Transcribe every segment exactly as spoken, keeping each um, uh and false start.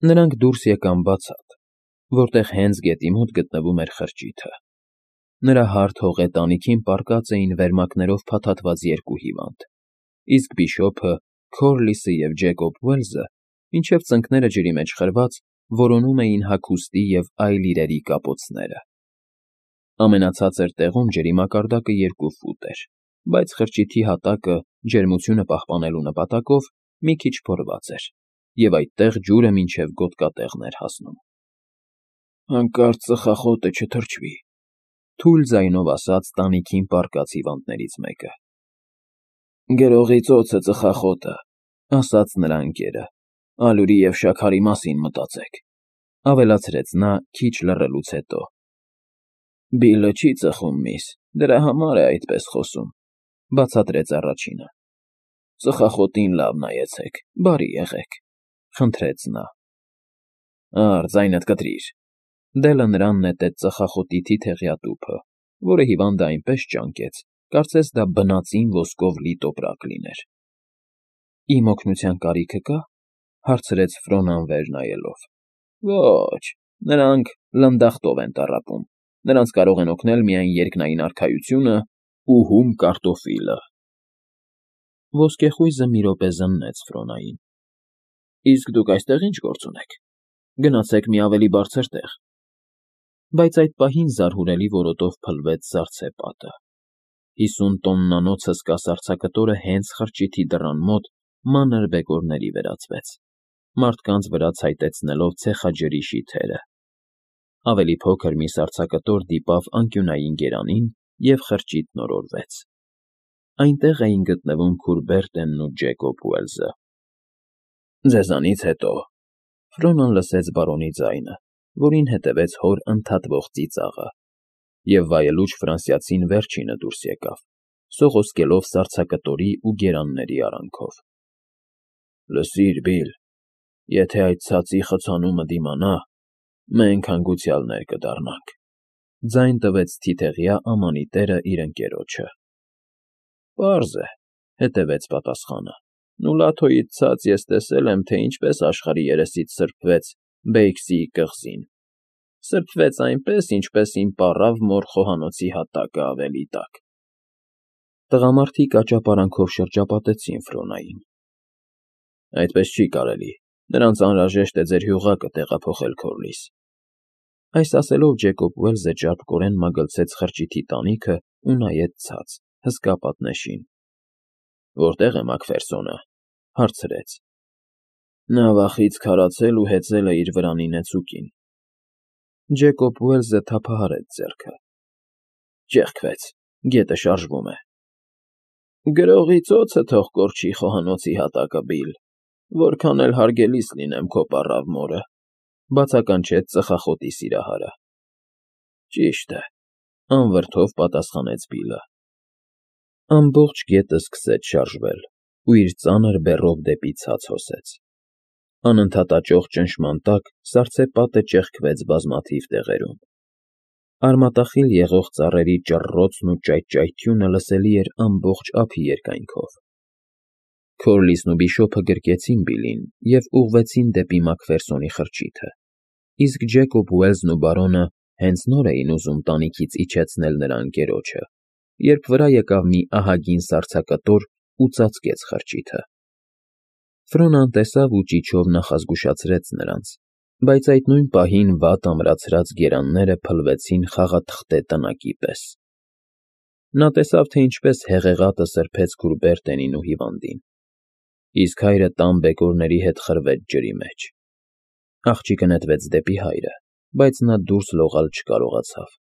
Նրանք դուրս եկան բացատ, որտեղ հենց գետի մոտ գտնվում էր խրճիթը։ Նրա հարթ հողե տանիքին պառկած էին վերմակներով փաթաթված երկու հիվանդ, իսկ բիշոպը, Քորլիսը և Ջեկոբ Ուելսը, մինչև ծնկները ջրի մեջ խրված, որոնում էին հագուստի և այլ իրերի կապոցները։ Ամենացածր տեղում ջրի մակարդակը երկու ֆուտ էր, բայց խրճիթի հատակը, ջերմությունը պահպանելու նպատակով, մի քիչ փորված էր, և այդտեղ ջուրը մինչև գոտկատեղն էր հասնում։ «Հանկարծ ծխախոտը չթրջվի», թույլ ձայնով ասաց տանիքին պառկած հիվանդներից մեկը։ «Գրողի ծոցը ծխախոտը», ասաց նրա ընկերը, «ալյուրի և շաքարի մասին մտածեք», ավելացրեց նա քիչ լռելուց հետո։ «Բիլլը չի ծխում, միս, դրա համար է այդպես խոսում», բացատրեց առաջինը։ «Ծխախոտին լավ նայեցեք, բարի եղեք», խնդրեց նա։ «Առ, ձայնդ կտրիր», Դելը նրան նետեց ծխախոտի թիթեղյա տուփը, որը հիվանդը այնպես ճանկեց, կարծես դա բնածին ոսկով լի տոպրակ լիներ։ «Իմ օգնության կարիքը կա՞, հարցրեց Ֆրոնան վեր նայելով։ «Ոչ, նրանք լնդախտով են տառապում, նրանց կարող են օգնել միայն երկնային արքայությունը ու հում կարտոֆիլը»։ Ոսկեխույզը մի րոպե զննեց Ֆրոնային։ «Իսկ դուք այստեղ ի՞նչ գործ ունեք։ Գնացեք մի ավելի բարձր տեղ»։ Բայց այդ պահին զարհուրելի որոտով փլվեց սառցեպատը։ Հիսուն տոննանոց հսկա սառցակտորը հենց խրճիթի դռան մոտ մանր բեկորների վերածվեց, մարդկանց վրա ցայտեցնելով ցեխաջրի շիթերը։ Ավելի փոքր մի սառցակտոր դիպավ անկյունային գերանին, և խրճիթն օրորվեց։ Այնտեղ էին գտնվում Քուրբերտենն ու Ջեկոբ Ուելսը։ «Ձեզանից հետո», Ֆրոնան լսեց բարոնի ձայնը, որին հետևեց հոր ընդհատվող ծիծաղը, և վայելուչ ֆրանսիացին վերջինը դուրս եկավ, սողոսկելով սառցակտորի ու գերանների արանքով։ «Լսիր, Բիլ, եթե այդ ցածի խցանումը դիմանա, մենք հանգուցյալներ կդառնանք», ձայն տվեց թիթեղյա ամանիտերը իր ընկերոջը։ «Պարզ է,» հետևեց պատասխանը, «Նուլաթոյից ցած ես տեսել եմ, թե ինչպես աշխարհի երեսից սրբվեց Բեյքսիի կղզին, սրբվեց այնպես, ինչպես իմ պառավ մոր խոհանոցի հատակը ավելի տաք»։ Տղամարդիկ աճապարանքով շրջապատեցին Ֆրոնային։ «Այդպես չի կարելի, նրանց անհրաժեշտ է ձեր հյուղակը տեղափոխել Քորլիս»։ Այս ասելով Ջեկոբ Ուելսը ճարպկորեն մագլցեց խրճիթի տանիքը ու նայեց ցած, հսկա պատնեշին։ «Որտե՞ղ է Մակֆերսոնը», հարցրեց։ «Նա վախից քարացել ու հեծել է իր վրանի նեցուկին»։ Ջեկոբ Ուելսը թափահարեց ձեռքը։ «Ճեղքվեց, գետը շարժվում է»։ «Գրողի ծոցը թող կորչի խոհանոցի հատակը, Բիլ, որքան էլ հարգելիս լինեմ քո պառավ մորը», բացականչեց ծխախոտի սիրահարը։ «Ճիշտ է», անվրդով պատասխանեց Բիլլը։ Ամբողջ գետը սկսեց շարժվել ու իր ծանր բեռով դեպի ցած հոսեց։ Անընդհատ աճող ճնշման տակ սառցեպատը ճեղքվեց բազմաթիվ տեղերում։ Արմատախիլ եղող ծառերի ճռռոցն ու ճայթճայթյունը լսելի էր ամբողջ ափի երկայնքով։ Քորլիսն ու բիշոպը գրկեցին Բիլլին և ուղղվեցին դեպի Մակֆերսոնի խրճիթը, իսկ Ջեկոբ Ուելսն ու բարոնը հենց նոր էին ուզում տանիքից իջեցնել նրա ընկերոջը, երբ վրա եկավ մի ահագին սառցակտոր ու ծածկեց խրճիթը։ Ֆրոնան տեսավ ու ճիչով նախազգուշացրեց նրանց, բայց այդ նույն պահին վատ ամրացրած գերանները փլվեցին խաղաթղթե տնակի պես։ Նա տեսավ, թե ինչպես հեղեղատը սրբեց Քուրբերտենին ու հիվանդին, իսկ հայրը տան բեկորների հետ խրվեց ջրի մեջ։ Աղջիկը նետվեց դեպի հայրը, բայց նա դուրս լողալ չկարողացավ։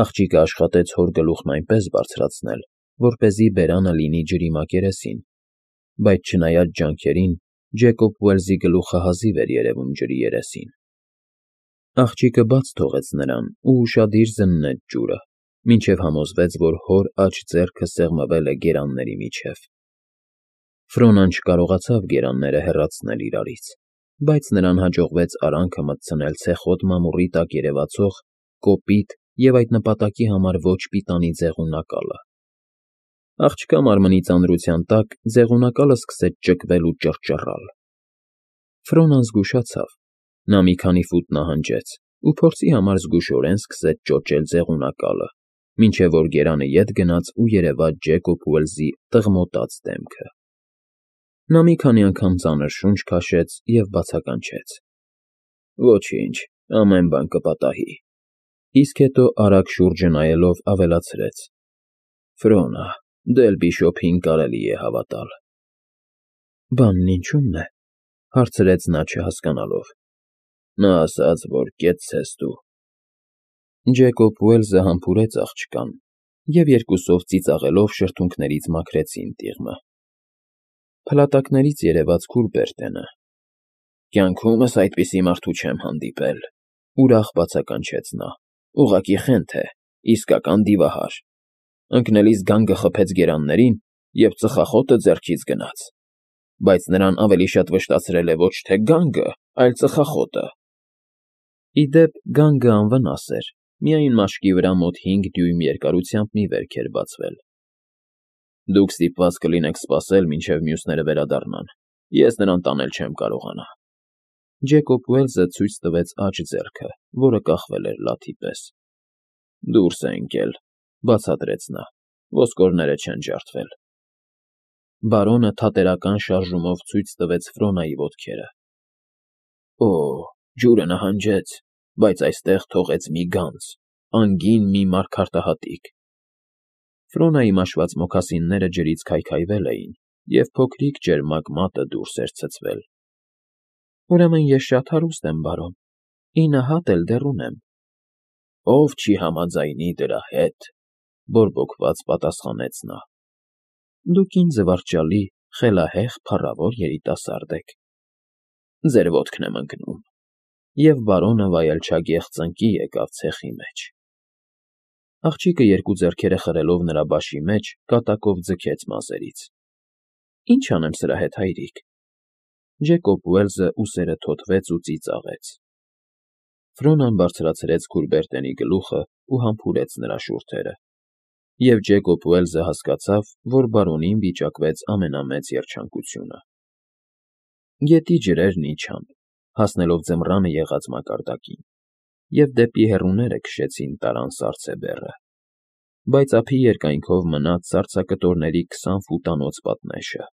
Աղջիկը աշխատեց հոր գլուխն այնպես բարձրացնել, որպեսզի բերանը լինի ջրի մակերեսին, բայց չնայած ջանքերին, Ջեկոբ Ուելսի գլուխը հազիվ էր երևում ջրի երեսին։ Աղջիկը բաց թողեց նրան ու ուշադիր զննեց ջուրը, մինչև համոզվեց, որ հոր աջ ձեռքը սեղմվել է գերանների միջև։ Ֆրոնան չկարողացավ գերանները հեռացնել իրարից, բայց նրան հաջողվեց արանքը մտցնել ցեխոտ մամուռի տակ երևացող կոպիտ և այդ նպատակի համար ոչ պիտանի ձեղունակալը։ Աղջկա մարմնի ծանրության տակ ձեղունակալը սկսեց ճկվել ու ճռճռալ։ Ֆրոնան զգուշացավ։ Նա մի քանի ֆուտ նահանջեց ու փորձի համար զգուշորեն սկսեց ճոճել ձեղունակալը, մինչև որ գերանը ետ գնաց ու երևաց Ջեյքոբ Ուելսի տղմոտած դեմքը։ Նա մի քանի անգամ ծանր շունչ քաշեց և բացականչեց. «Ոչինչ, ամեն բան կպատահի», իսկ հետո արագ շուրջը նայելով ավելացրեց. «Ֆրոնա, Դել Բիշոփին կարելի է հավատալ»։ «Բանն ինչո՞ւմն է,֊ հարցրեց նա չհասկանալով։ Նա ասաց, որ կեծս ես դու։ Ջեյքոբ Ուելսը համբուրեց աղջկան, և երկուսով ծիծաղելով շրթունքներից մաքրեցին տիղմը։ Փլատակներից երևաց Քուրբերտենը։ «Կյանքումս այդպիսի մարդու չեմ հանդիպել,֊ ուրախ բացականչեց նա,֊ ուղղակի խենթ է, իսկական դիվահար։ Ընկնելիս գանգը խփեց գերաններին, և ծխախոտը ձեռքից գնաց։ Բայց նրան ավելի շատ վշտացրել է ոչ թե գանգը, այլ ծխախոտը»։ Ի դեպ, գանգը անվնաս էր, միայն մաշկի վրա մոտ հինգ դյույմ երկարությամբ մի վերք էր բացվել։ «Դուք ստիպված կլինեք սպասել, մինչև մյուսները վերադառնան, ես նրան տանել չեմ կարողանա»։ Ջեյքոբ Ուելսը ցույց տվեց աջ ձեռքը, որը կախվել էր լաթի պես։ «Դուրս է ընկել,֊ բացատրեց նա,֊ ոսկորները չեն ջարդվել»։ Բարոնը թատերական շարժումով ցույց տվեց Ֆրոնայի ոտքերը։ «Օ, ջուրը նահանջեց, բայց այստեղ թողեց մի գանձ, անգին մի մարգարտահատիկ»։ Ֆրոնայի մաշված մոքասինները ջրից քայքայվել էին, և փոքրիկ ճերմակ մատը դուրս էր ցցվել։ «Ուրեմն ես շատ հարուստ եմ, բարոն, ինը հատ էլ դեռ ունեմ»։ «Ով չի համաձայնի դրա հետ,֊ բորբոքված պատասխանեց նա։ «Դուք ինձ զվարճալի, խելահեղ, փառավոր երիտասարդ եք։ Ձեր ոտքն եմ ընկնում»։ Եվ բարոնը վայելչագեղ ծնկի եկավ ցեխի մեջ։ Աղջիկը երկու ձեռքերը խրելով նրա բաշի մեջ, կատակով ձգեց մազերից։ «Ինչ անեմ սրա հետ, հայրիկ»։ Ջեյքոբ Ուելսը ուսերը թոթվեց ու ծիծաղեց։ Ֆրոնան բարձրացրեց Քուրբերտենի գլուխը ու համբուրեց նրա շուրթերը, և Ջեյքոբ Ուելսը հասկացավ, որ բարոնին վիճակվեց ամենամեծ երջանկությունը։ Գետի ջրերն իջան, հասնելով ձմռանը եղած մակարդակին, և դեպի հեռուները քշեցին տարան սառցե բեռը։ Բայց ափի երկայնքով մնաց սառցակտորների քսան ֆուտանոց պատնեշը։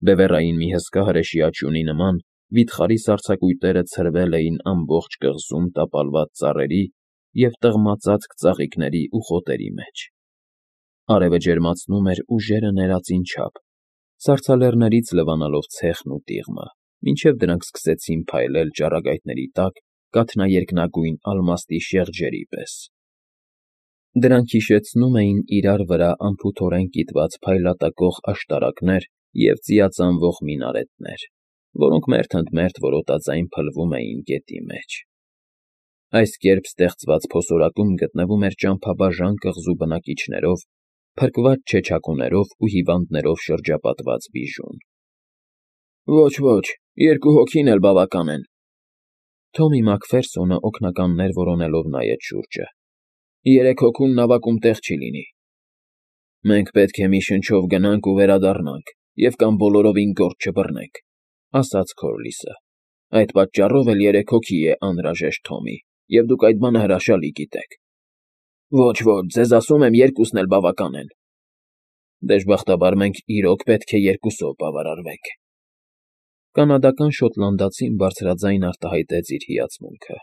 Բևեռային մի հսկա հրեշիաճյունի նման վիթխարի սառցակույտերը ցրվել էին ամբողջ կղզում տապալված ծառերի և տղմածածկ ծաղիկների ու խոտերի մեջ։ Արևը ջերմացնում էր ուժերը ներածին չափ, սառցալեռներից լվանալով ցեխն ու տիղմը, մինչև դրանք սկսեցին փայլել ճառագայթների տակ կաթնաերկնագույն ալմաստի շեղջերի պես։ Դրանք հիշեցնում էին իրար վրա անփութորեն կիտված փայլատակող աշտարակներ և ծիածանվող մինարետներ, որոնք մերթ ընդ մերթ որոտածայն փլվում էին գետի մեջ։ Այս կերպ ստեղծված փոսորակում գտնվում էր ճամփաբաժան կղզու բնակիչներով, փրկված չեչակուներով ու հիվանդներով շրջապատված բիժուն։ «Ոչ, ոչ, երկու հոգին էլ բավական են,֊ Թոմի Մաքֆերսոնը օգնականներ որոնելով նայեց շուրջը,֊ երեք հոգուն նավակում տեղ չի լինի։ Մենք պետք է մի շնչով գնանք ու վերադառնանք և կամ բոլորովին գործ չբռնենք,֊ ասաց Քորլիսը,֊ այդ պատճառով էլ երեք հոգի է անհրաժեշտ, Թոմի, և դուք այդ բանը հրաշալի գիտեք։ Ոչ, ոչ, ձեզ ասում եմ, երկուսն էլ բավական են։ Դժբախտաբար մենք իրոք պետք է երկուսով բավարարվենք։ Կանադական շոտլանդացին բարձրաձայն արտահայտեց իր հիացմունքը։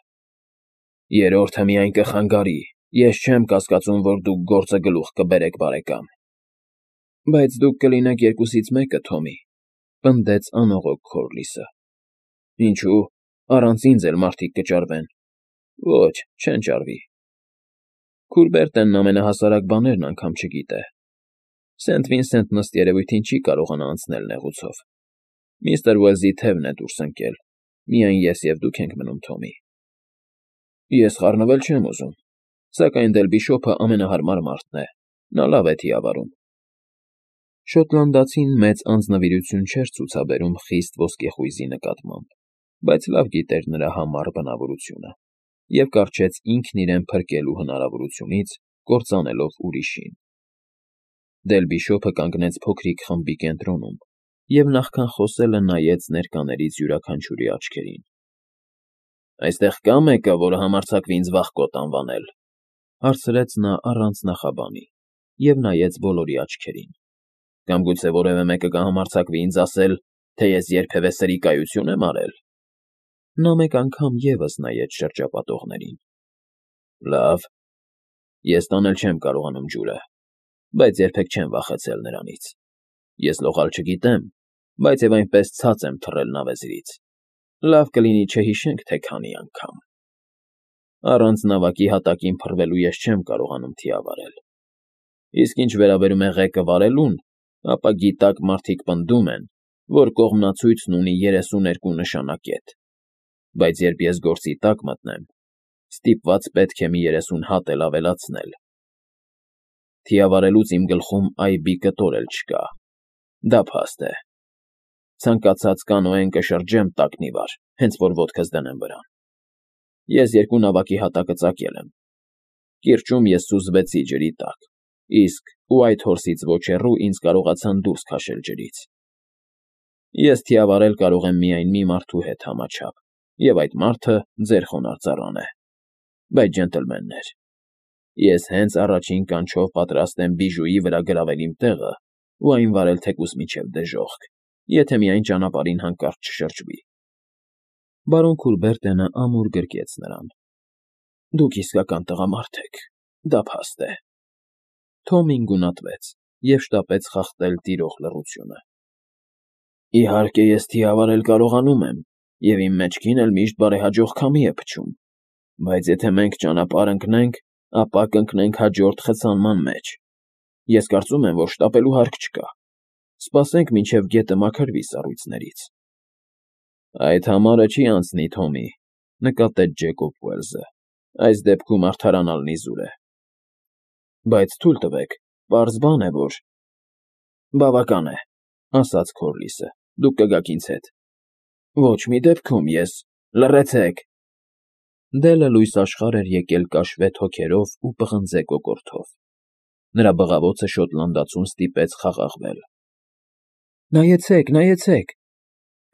Երրորդը միայն կխանգարի, ես չեմ կասկածում, որ դուք գործը գլուխ կբերեք, բարեկամ։ Բայց դուք կլինեք երկուսից մեկը, Թոմի,֊ պնդեց անողոք Քորլիսը։ Ինչու՞, առանց ինձ էլ մարդիկ կճարվեն։ Ոչ, չեն ճարվի։ Քուրբերտենն ամենահասարակ բաներն անգամ չգիտե։ Սենթ Վինսենտն ըստ երևույթին չի կարողանա անցնել նեղուցով։ Միստր Ուելսի թևն է դուրս ընկել, միայն ես և դուք ենք մնում, Թոմի։ Ես խառնվել չեմ ուզում, սակայն Դել Բիշոփը ամենահարմար մարդն է, նա լավ է թիավարում։ Շոտլանդացին մեծ անձնվիրություն չէր ցուցաբերում խիստ ոսկեխույզի նկատմամբ, բայց լավ գիտեր նրա համառ բնավորությունը և կառչեց ինքն իրեն փրկելու հնարավորությունից, կործանելով ուրիշին։ Դել Բիշոփը կանգնեց փոքրիկ խմբի կենտրոնում, և նախքան խոսելը նայեց ներկաներից յուրաքանչյուրի աչքերին։ ֊ Այստեղ կա՞ մեկը, որը համարձակվի ինձ վախկոտ անվանել,֊ հարցրեց նա առանց նախաբանի և նայեց բոլորի աչքերին,֊ կամ գուցե որևէ մեկը կհամարձակվի ինձ ասել, թե ես երբևէ սրիկայություն եմ արել։ Նա մեկ անգամ ևս նայեց շրջապատողներին։ ֊ Լավ, ես տանել չեմ կարողանում ջուրը, բայց երբեք չեմ վախեցել նրանից։ Ես լողալ չգիտեմ, բայց և այնպես ցած եմ թռել նավեզրից, լավ կլինի չհիշենք, թե քանի անգամ։ Առանց նավակի հատակին փռվելու ես չեմ կարողանում թիավարել։ Իսկ ինչ վերաբերում է ղեկը վարելուն, ապա գիտակ մարդիկ պնդում են, որ կողմնացույցն ունի երեսուներկու նշանակետ, բայց երբ ես գործի տակ մտնեմ, ստիպված պետք է մի երեսուն հատ էլ ավելացնել։ Թիավարելուց իմ գլխում այբի կտոր էլ չկա, դա փաստ է։ Ցանկացած կանոեն կշրջեմ տակնիվար, հենց որ ոտքս դնեմ վրան։ Ես երկու նավակի հատակը ծակել եմ։ Կիրճում ես սուզվեցի ջրի տակ, իսկ Ուայթհորսից ոչ հեռու ինձ կարողացան դուրս քաշել ջրից։ Ես թիավարել կարող եմ միայն մի մարդու հետ համաչափ, և այդ մարդը ձեր խոնարհ ծառան է։ Բայց, ջենտլմեններ, ես հենց առաջին կանչով պատրաստ եմ Բիժուի վրա գրավել իմ տեղը ու այն վարել թեկուզ մինչև դժոխք, եթե միայն ճանապարհին հանկարծ չշրջվի։ Բարոն Քուլբերտենը ամուր գրկեց նրան։ ֊ Դուք իսկական տղամարդ եք, դա փաստ է։ Թոմին գունատվեց և շտապեց խախտել տիրող լռությունը։ ֊ Իհարկե, ես թիավարել կարողանում եմ, և իմ մեջքին էլ միշտ բարեհաջող քամի է փչում, բայց եթե մենք ճանապարհ ընկնենք, ապա կընկնենք հաջորդ խցանման մեջ։ Ես կարծում եմ, որ շտապելու հարկ չկա։ Սպասենք, մինչև գետը մաքրվի սառույցներից։ ֊ Այդ համարը չի անցնի, Թոմի,֊ նկատեց Ջեյկոբ Ուելսը,֊ այս դեպքում արդարանալն իզուր է։ ֊ Բայց թույլ տվեք, պարզ բան է, որ… ֊ Բավական է,֊ ասաց Քորլիսը,֊ դուք կգաք ինձ հետ։ ֊ Ոչ մի դեպքում, ես… Լռեցեք… Դելը լույս աշխարհ էր եկել կաշվե թոքերով ու պղնձե կոկորդով։ Նրա բղավոցը շոտլանդացուն ստիպեց խաղաղվել։ ֊ Նայեցեք, նայեցեք,֊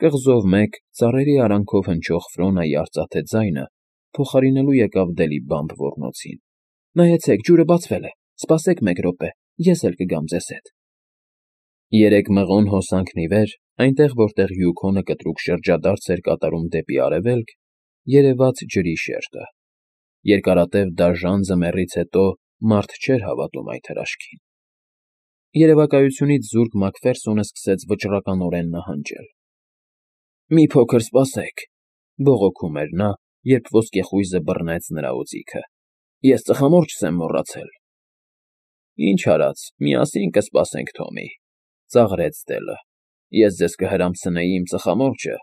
կղզով մեկ ծառերի արանքով հնչող Ֆրոնայի արծաթե ձայնը փոխարինելու եկավ Դելի բամբ ոռնոցին,֊ Նայեցեք, ջուրը բացվել է, սպասեք մեկ րոպե, ես էլ կգամ ձեզ հետ։ Երեք մղոն հոսանքն ի վեր, այնտեղ, որտեղ Յուքոնը կտրուկ շրջադարձ էր կատարում դեպի արևելք, երևաց ջրի շերջը։ Երկարատև դաժան ձմեռից հետո մարդ չէր հավատում այդ հրաշքին։ Երևակայությունից զուրկ Մակֆերսոնը սկսեց վճռականորեն նահանջել։ ֊ Մի փոքր սպասեք,֊ բողոքում էր նա, երբ ոսկեխույզը բռնեց նրա օձիքը,֊ ես ծխամորճս եմ մոռացել։ ֊ Ինչ արած, միասին կսպասենք, Թոմի,֊ ծաղրեց Դելը,֊ ես ձեզ կհրամցնեի իմ ծխամորճը,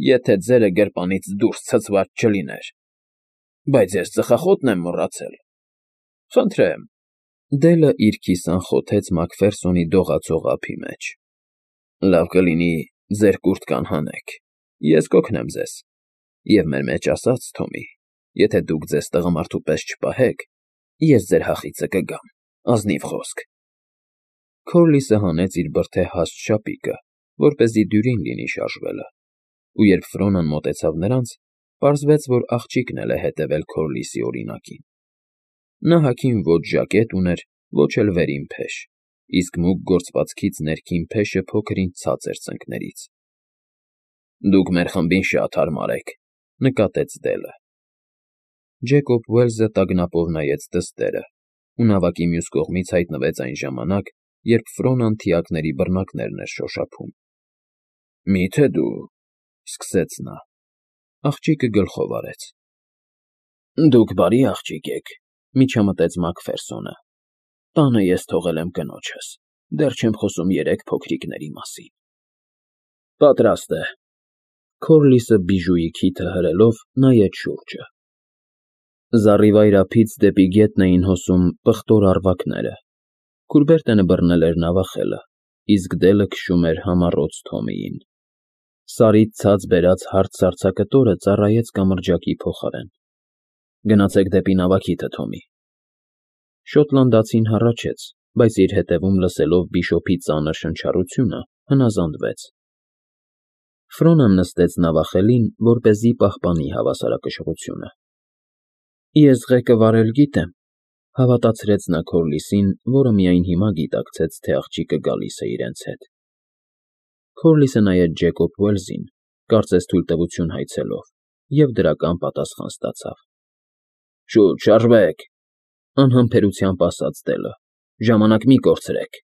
եթե ձերը գրպանից դուրս ցցված չլիներ։ ֊ Բայց ես ծխախոտն եմ մոռացել։ ֊ Խնդրեմ,֊ Դելը իր քիսան խոթեց Մակֆերսոնի դողացող ափի մեջ,֊ լավ կլինի ձեր կուրտկան հանեք, ես կօգնեմ ձեզ, և մեր մեջ ասած, Թոմի, եթե դուք ձեզ տղամարդու պես չպահեք, ես ձեր հախիծը կգամ, ազնիվ խոսք։ Քորլիսը հանեց իր բրդե հաստ շապիկը, որպեսզի դյուրին լինի շարժվելը, ու երբ Ֆրոնան մոտեցավ նրանց, պարզվեց, որ աղջիկն էլ է հետևել Քորլիսի օրինակին։ Նա հագին ոչ ժակետ ուներ, ոչ էլ վերին փեշ, իսկ մուգ գործվածքից ներքին փեշը փոքր֊ինչ ցած էր ծնկներից։ ֊ Դուք մեր խմբին շատ հարմար եք,֊ նկատեց Դելը։ Ջեյկոբ Ուելսը տագնապով նայեց դստերը, ու նավակի մյուս կողմից հայտնվեց այն ժամանակ, երբ Ֆրոնան թիակների բռնակներն էր շոշափում։ ֊ Մի՞թե դու…֊ սկսեց նա։ Աղջիկը գլխով արեց։ ֊ Դուք բարի աղջիկ եք,֊ միջամտեց Մակֆերսոնը,֊ տանը ես թողել եմ կնոջս, դեռ չեմ խոսում երեք փոքրիկների մասին։ ֊ Պատրաստ է,֊ Քորլիսը Բիժուի քիթը հրելով նայեց շուրջը։ Զառիվայր ափից դեպի գետն էին հոսում պղտոր առվակները։ Քուրբերտենը բռնել էր նավախելը, իսկ Դելը քշում էր համառոտ Թոմիին։ Սարից ցած բերած հարթ սառցակտորը ծառայեց կամրջակի փոխարեն։ ֊ Գնացեք դեպի նավակիցը, Թոմի։ Շոտլանդացին հառաչեց, բայց իր հետևում լսելով բիշոպի ծանր շնչառությունը, հնազանդվեց Ֆրոնան նստեց նավախելին, որպեսզի պահպանի հավասարակշռությունը։ ֊ Ես ղեկը վարել գիտեմ,֊ հավատացրեց նա Քորլիսին, որը միայն հիմա գիտակցեց, թե աղջիկը գալիս է իրենց հետ։ Քորլիսը նայեց Ջեյքոբ Ուելսին, կարծես թույլտվություն հայցելով, և դրական պատասխան ստացավ։ ֊ Շուտ շարժվեք,֊ անհամբերությամբ ասաց Դելը,֊ ժամանակ մի կորցրեք։